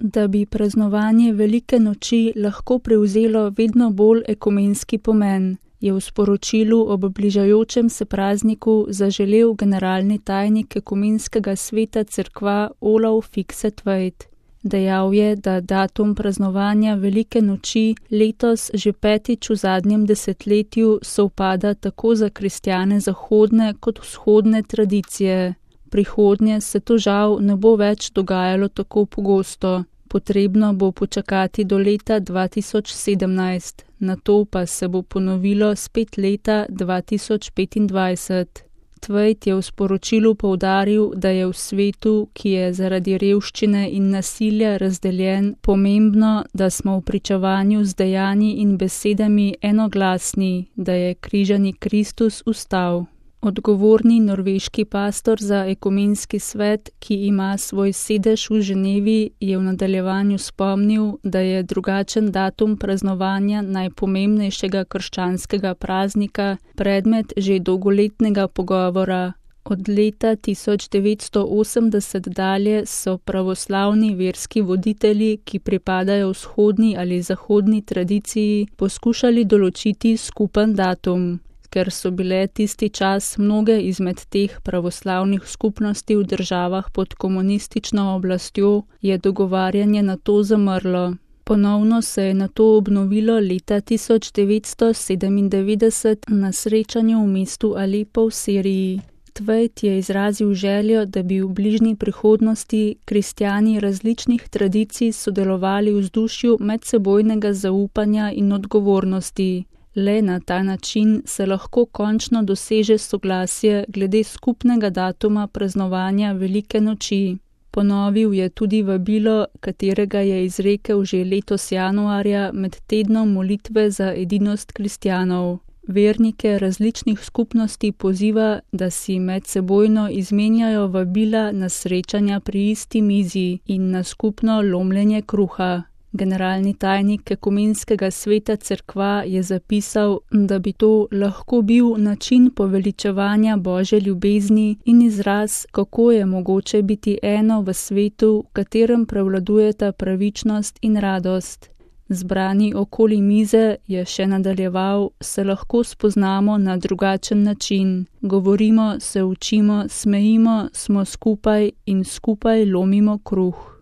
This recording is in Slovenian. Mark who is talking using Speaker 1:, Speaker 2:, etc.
Speaker 1: da bi praznovanje velike noči lahko prevzelo vedno bolj ekumenski pomen, je v sporočilu ob bližajočem se prazniku zaželel generalni tajnik Ekumenskega sveta cerkva Olav Fikse-Tveit. Dejal je, da datum praznovanja velike noči letos že 5. v zadnjem desetletju sovpada tako za kristjane zahodne kot vzhodne tradicije. Prihodnje se to žal ne bo več dogajalo tako pogosto. Potrebno bo počakati do leta 2017, nato pa se bo ponovilo spet leta 2025. Tveit je v sporočilu poudaril, da je v svetu, ki je zaradi revščine in nasilja razdeljen, pomembno, da smo v pričevanju z dejanji in besedami enoglasni, da je križani Kristus vstal. Odgovorni norveški pastor za ekumenski svet, ki ima svoj sedež v Ženevi, je v nadaljevanju spomnil, da je drugačen datum praznovanja najpomembnejšega krščanskega praznika predmet že dolgoletnega pogovora. Od leta 1980 dalje so pravoslavni verski voditelji, ki pripadajo vzhodni ali zahodni tradiciji, poskušali določiti skupen datum. Ker so bile tisti čas mnoge izmed teh pravoslavnih skupnosti v državah pod komunistično oblastjo, je dogovarjanje na to zamrlo. Ponovno se je nato obnovilo leta 1997 na srečanju v mestu Alepo v Siriji. Tveit je izrazil željo, da bi v bližnji prihodnosti kristjani različnih tradicij sodelovali v vzdušju medsebojnega zaupanja in odgovornosti. Le na ta način se lahko končno doseže soglasje glede skupnega datuma praznovanja velike noči. Ponovil je tudi vabilo, katerega je izrekel že letos januarja med tednom molitve za edinost kristjanov. Vernike različnih skupnosti poziva, da si medsebojno izmenjajo vabila na srečanja pri isti mizi in na skupno lomljenje kruha. Generalni tajnik Ekumenskega sveta cerkva je zapisal, da bi to lahko bil način poveličevanja Božje ljubezni in izraz, kako je mogoče biti eno v svetu, v katerem prevladujeta pravičnost in radost. Zbrani okoli mize, je še nadaljeval, se lahko spoznamo na drugačen način. Govorimo, se učimo, smejimo, smo skupaj in skupaj lomimo kruh.